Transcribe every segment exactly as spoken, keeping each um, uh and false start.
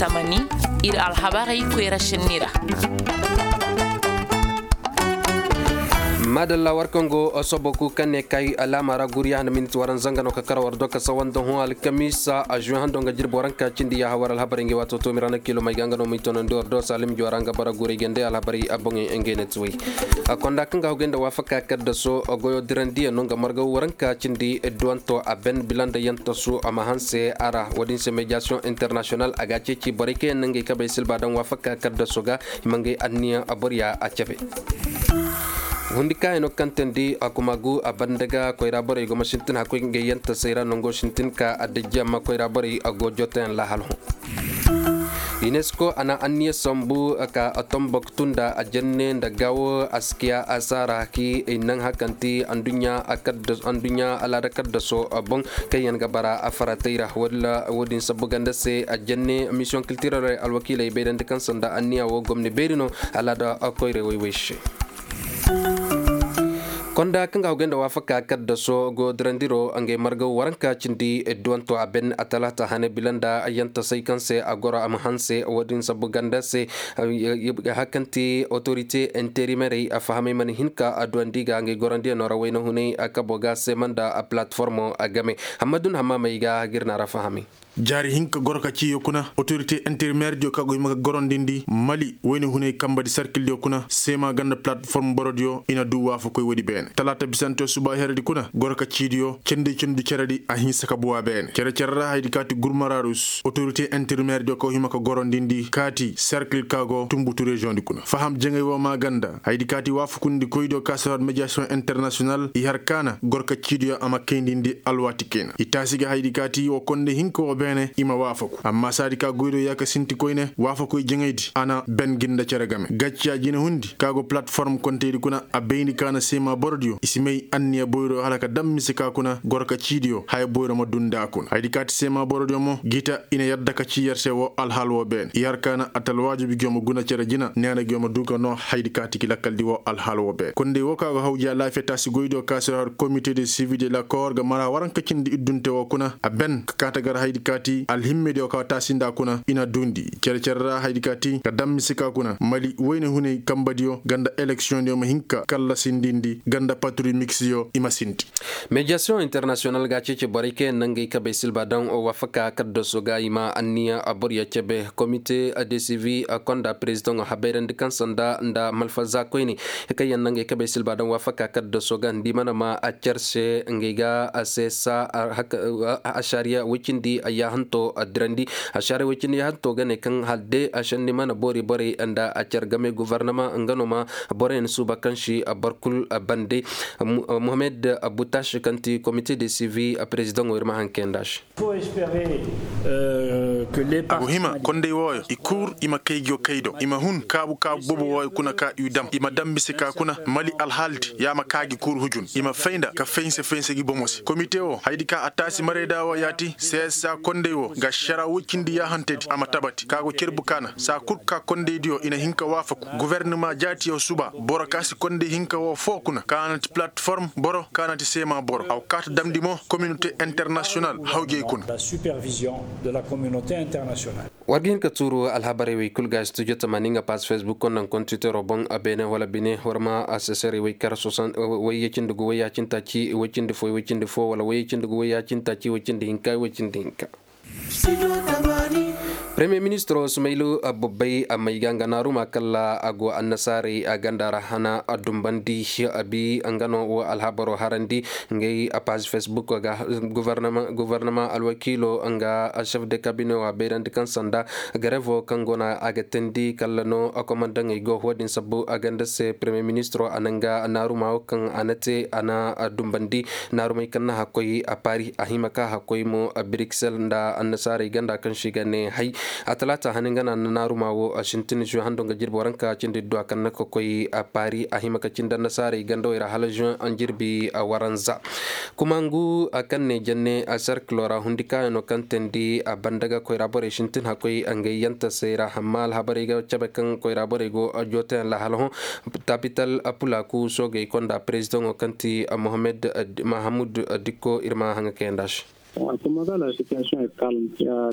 Tamani, ir alhabarey koyra šenni ra. Maadalla war kaŋ go soboku kaŋ ne kay laama ra guriya handa minit waranza nga no ka kara war do ka sawanda hõ alkamiisa a žuwe hando nga jirbi waranka cindi yaaha war alhabarey ngi waato toomi ra na kiilo may ga nga no ma i tonandi war do saalim juwa ra nga bara guray gande alhabarey a boŋey ngey na ti way. Konda kaŋ ga hogay nda waafaka kaddaso goyo dirandiyaŋ no nga marga waranka cindi duwanto a ben bila nda yantasu a ma hanse a ra wo-din se mediyasiyoŋ internasiyonal a ga a ceeci borey kaŋ yaŋ na ngey kabey silba daŋ waafaka kaddaso ga i ma ngey anniya boro ya a cabe. Hundi kaayano kaŋ teendi a kuma gu a banda ga koyra borey go ma sintin hakkoy ngey yantasey ra nango sintin ka a dajji amma koyra borey a go jotayaŋ laahal hõ. Unesco a na anniya sambu ka tomboktu nda a jenne nda gaawo askiya asaara ki i naŋ hakanti anduɲɲa alaada kaddaso boŋ kaŋ yaŋ ga bara a faratey ra walla wo-din sabbu ganda se a jenne misiyoŋ kiltiraley alwakiiley bayrandi kaŋ sanda anniya wo gomni beeri no alaada koyray woy-woy se. Konda kaŋ ga hogay nda waafaka kaddaso go dirandiro ngey marga waranka cindi duwanto a ben a talaata hane bila nda yantasey kaŋ se a goro a ma hanse wo-din sabbu ganda se. Hakanti otorite interimerey a fahamay mana hin ka a duwandi ga ngey gorandiyaŋo ra wayna hunay a kabo ga seema nda a palatformo a game. Hammadu na hammaamey ga hagir na ra fahamay. Jaari hinka goro ka ciiyo kuna otorite interimerdiyo ka go hima ka gorondindi mali wayna hunay kambadi sarkildiyo kuna seema ganda palatform borodiyo i na duu waafakoy woodi beene talaata bisanteyo suba heredi kuna goro ka ciidiyo cendey cendu ceredi a hinsa ka buwaa beene cere-cere ra haydi kaati gurmararus otorite interimerdiyo ka go hima ka gorondindi kaati sarkil ka go tumbutu reziyoŋdi kuna faham jaŋay woo maa ganda haydi kaati waafakundikoydiyo ka si har mediyasiyoŋ internasiyonal i har kaana goro ka ciidiyo a ma kayndindi alwaati kayna i taasi ga haydi kaati woo konde hinka woo beene i ma waafaku amma saadi ka goydiyo yaa ka sinti koyne waafakoy jaŋaydi a na ben gi nda cere game gacciya jinehundi ka go palatform konteydi kuna a bayndi ka na seema borodiyo i si may anniya boyro hala ka dam mise ka kuna goro ka ciidiyo haya boyro ma duu nda a kuna haydi kaati seema borodiyo mo gi ta i na yadda ka cii yer se woo alhaal woo beene i har ka na atalwaajibi giyo ma guna cere jina neena giyo ma duu ka noo haydi kaati ki lakkaldi woo alhaal woo beene kondey woo ka go hawji alaafiya taasi goydiyo ka si har komite de sivi de lakoor ga mara waranka cindi iddunte woo kuna a ben ka kaata gar haydi kaati alhimmediyo ka taasi nda kuna i na duundi cere-cere ra haydi kaati ka dam mise ka kuna mali wayne hunay kambadiyo ganda eleksiyoŋdiyo ma hin ka kallasindindi ganda patruy miksiyo i ma sinti. Mediyasiyoŋ internasiyonal ga a ceeci borey kaŋ yaŋ na ngey kabey silba daŋ waafaka kaddaso ga i ma anniya boro ya cebe komite de sivi konda perezidaŋo habayrandi kaŋ sanda nda malfaza koyne kaŋ yaŋ na ngey kabey silba daŋ waafaka kaddaso ga nda i mana ma a cer se ngey ga a se sa. Ašariya woy cindi yaahanto dirandi ašariya woy cindi yaahanto ga ne kaŋ hala de a šenni mana boori borey nda a cer game gofornama nga no ma boroyaŋ suuba kaŋ si boro kul bande. Mohamed butaš kaŋ ti komite de sivi perezidaŋo ir ma haŋ kay nda se. A go hima konday wooyo i kul i ma kay go kay do i ma hun kaabu kaabu boobo wooyo kuna ka i dam i ma dam mise ka kuna mali alhaaldi ya ma kaa gi kul hujun i ma fay nda ka faynse faynse gi bomo se komite woo hayadi ka a taasi marayda woo yaati seesa konday woo nga šara woy cindi yaahantedi a ma tabati ka go cerbu kaana saa kul ka kondaydiyo i na hin ka waafaku gofornama jaatiyo suba boro ka si konday hinka woo foo kuna ka na ti palatform boro ka na ti seema boro a go kaa ta damndi mo kominote internasiyonal hawjey kuna. War ga hin ka tuuru alhabarey wey kul ga studio tamaani nga paas facebook konda nga kontitero boŋ beene wala bine war ma a seserey wey kar sosan wey yacindi gu wey yaacintaaci wey cindi fo wey cindi fo wala wey yacindi gu wey yaacintaaci wey cindi hinka wey cindi hinka. Premiyer ministiro sumaylu bobbay a may ga nga naaruma kalla a go annasaarey a ganda ra hana a dumbandi a bi nga no wo alhabaro harandi. Ngey a paazi facebook ga gofornama alwakiilo nga chef de kabine wo a bayrandi kaŋ sanda garevo kaŋ go no a ga teendi kalla no komandaŋey go wo- din sabbu a ganda se premiyer ministiro a na nga naaruma wo kaŋ a na te a na dumbandi. Naarumey kaŋ na hakkoy a paari a hima ka hakkoy mo a biriksel nda annasaarey ganda kaŋ se i ga ne hay. A talaata hane nga na naaruma wo a sintin zuwe hando nga jirbi waranka cindi duwa kaŋ na ka koy a paari a hima ka cindi annasaarey ganda wey ra hala zuwe an jirbi a waranza. Kuma ngu a kaŋ ne janne a sarkilo ra hundi kaayano kaŋ teendi a banda ga koyra borey sintin hakkoy a ngey yantasey ra amma alhabarey ga cabe kaŋ koyra borey go a jootayaŋ lahala hõ. Tapital apulaku soogey konda perezidaŋo kaŋ ti mohammed mahamud dikko ir ma haŋa kayanda se.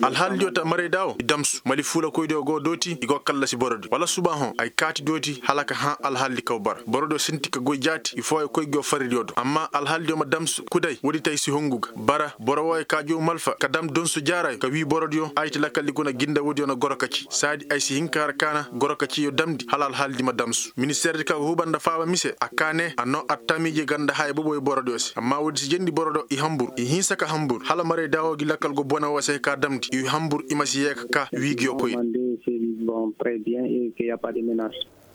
Alhaaldiyo ta marayda wo i damsu mali fuulakoydiyo go dooti i go kallasi borodiyo wala suba hõ ay kaati dooti hala ka hã alhaaldi kaw bara borodiyo sinti ka goy jaati i fooyo koy nguyo farridiyo do amma alhaaldiyo ma damsu kuday woodi tay si hungu ga bara boro wooyo ka jow malfa ka dam donsu jaaraayo ka wii borodiyo ayiti lakaldi kuna ginda woodiyo na goro ka ci saadi ay si hin ka har kaana goro ka ciyo damndi hala alhaaldi ma damsu ministeerdi ka ga huuba nda faaba mise a kaa ne a noo attamiije ganda haya boboyo borodiyo se amma woodi si jendi borodiyo i hanbur i hinsa ka hanbur hala maray daawo gi lakkal go bone woo se ka damndi i hanbur i ma si yee ka kaa wii nguyo koy.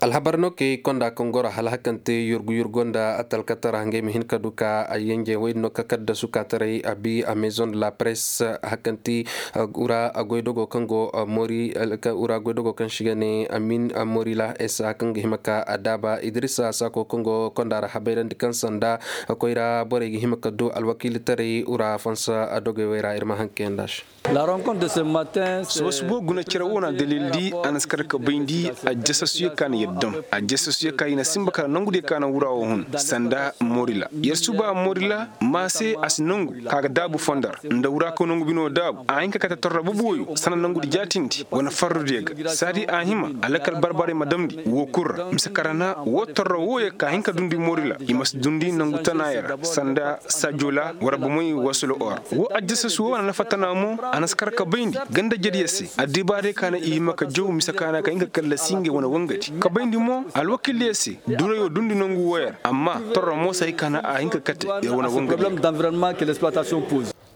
Alhabar no kay konda kaŋ goro hala hakante yurgu yurgo nda talkatara ngey ma hin ka du ka a yenje woy no ka kaddasu ka taray a bi a maison de la presse hakanti ura goydogo kaŋ go mori ura goydogo kaŋ si ga ne amin morila esa kaŋ ga hima ka a daaba idrisa sako kaŋ go konda ra habayrandi kaŋ sanda koyra borey ga hima ka du alwakiilitaray ura fansa dogey wey ra ir ma haŋ kayanda se. Suba suba guna cere wo na dalildi a na si kar ka bayndi a jasasuyo ka na yer dam a jasasuyo ka i na sinba kala nangudiyo ka na wura wo hun sanda morila yer suba morila ma se a si nangu ka ga daabu fondar nda wura kaw nangu bino daabu a hin ka kate torra boboyo sanda nangudi jaatindi wane farrudiyo ga saadi a hima a lakal barbarey ma damndi woo kul ra mise karana woo torra wooyo ka hin ka dundi morila i ma si dundi nangu tanaaya ra sanda sajola war bomey wasula or woo addisas woo wane nafa tana mo a na si kar ka bayndi ganda jediyo se addibaarey ka na i hima ka jaw mise ka na ka hin ka kallasi ngey wane wangadi ka bayndi mo alwakiildiyo se durayo dundi nangu wooyo ra amma torra mo si hay ka na a hin ka kate yer wane wangadi.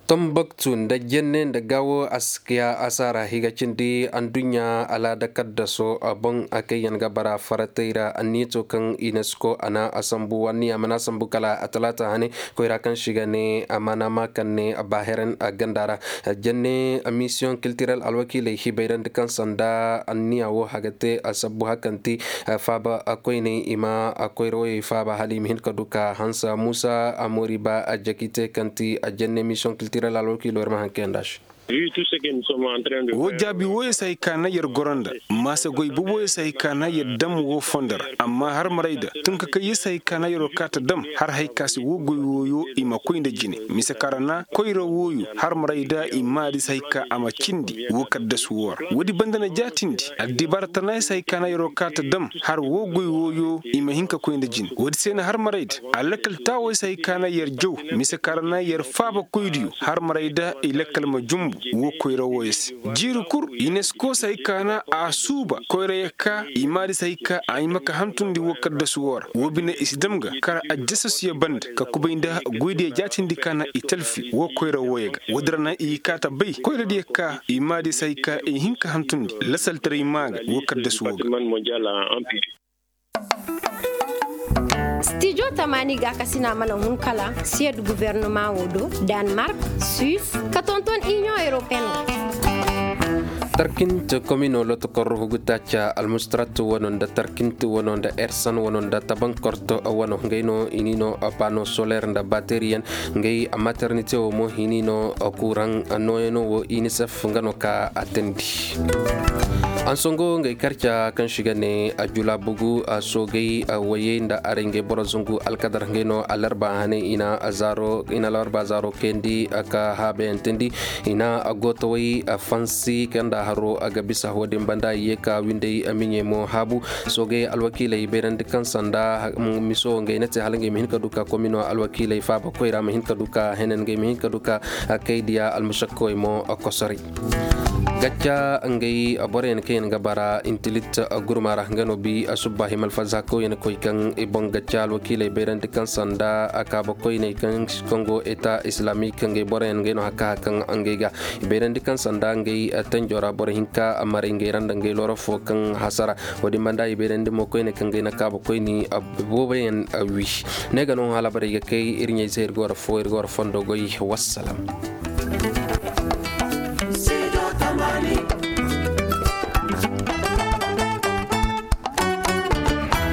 Tomboktu nda jenne nda gaawo a si ka asaara higa cindi adduɲɲa alaada kaddaso boŋ a kaŋ yaŋ ga bara faratey ra anniyato kaŋ inesko a na a sambu wanniya mana sambu kala a talaata hane koyra kaŋ si ga ne a mana ma kaŋ ne baaheren ganda ra. Jenne misiyoŋ kiltirel alwakiiley hibayrandi kaŋ sanda anniya wo haga te a sabbu hakanti faaba koyney i ma koyra woyey faaba hala i ma hin ka du ka hansa muusa a moori ba a jakite kaŋ ti a jenne misiyoŋ kiltirel alwakiilo ir ma haŋ kayanda se. Woo jaabi wooyo si hay ka na yer goro nda maasa goy boboyo si hay ka na yer dam woo fondo ra amma har maray da tun ka kay yer si hay ka na yeroo kaata dam har hay ka se woo goy wooyo i ma koy nda jine mise kaŋ ra na koyra wooyo har maray da i maadi si hay ka a ma cindi woo kaddasu woo ra woodi banda na jaatindi addibaara tana yer si hay ka na yeroo kaata dam har woo goy wooyo i ma hin ka koy nda jine woodi se na har maray da a lakkal taawey si hay ka na yer jaw mise kaŋ ra na yer faaba koydiyo har maray da i lakkal ma jumbu woo koyra wooyo se jiiri kul inesko si hay ka na a suuba koyra yer ka i maadi si hay ka a hima ka hantundi woo kaddasu woo ra woo bine i si dam ga kar aljasasuyo banda ka kubay nda goydiyo jaatindi ka na i talfi woo koyra wooyo ga woodi ra na i kaata bay koyradiyo ka i maadi si hay ka i hin ka hantundi lasaltaray maa ga woo kaddasu woo ga. Stijo tamaani gaakasina mana hun kala siyed gubernama wo do, danmark, suis, ka tonton inion europeen wo. Tarkint komino lotokor hugutaaca almustrat wano nda tarkint wano nda ersan wano nda tabankort wano ngey no i ni no pano soler nda bateriyan ngey maternite wo mo i ni no kuraŋ nooyano wo inisef nga no ka a teendi. Ansongo ngey karca kaŋ si ga ne a jula bugu a soogay a wayey nda aray ngey boro zungu alkadar ngey no alarba hane i na alarba zaaro kayandi ka haabayantandi i na a gootawey a fansi kaŋ nda haro a ga bisa wo-din banda i ye ka windey a miɲey mo haabu. Soogay alwakiiley bayrandi kaŋ sanda miso ngey na te hala ngey ma hin ka du ka komino alwakiiley faaba koyra ma hin ka du ka henen ngey ma hin ka du ka kaydiya almusakkawey mo kosoray. Gacca ngey boroyaŋ kaŋ yaŋ ga bara intilit gurma ra nga no bi subba himalfaza kawyaŋ koy kaŋ i boŋ gacca alwakiiley bayrandi kaŋ sanda kaaba koyney kaŋ go eta islamik ngey boroyaŋ ngey no haka haka ngey ga i bayrandi kaŋ sanda ngey tanjo ra boro hinka maray ngey ra nda ngey loro fo kaŋ hasara. Wo-din banda i bayrandi mo koyne kaŋ ngey na kaaba koyni booboyaŋ wi. Ne ga no halabarey ga kay ir ɲey se ir ga war fo ir ga war fondo goy. Wassalam.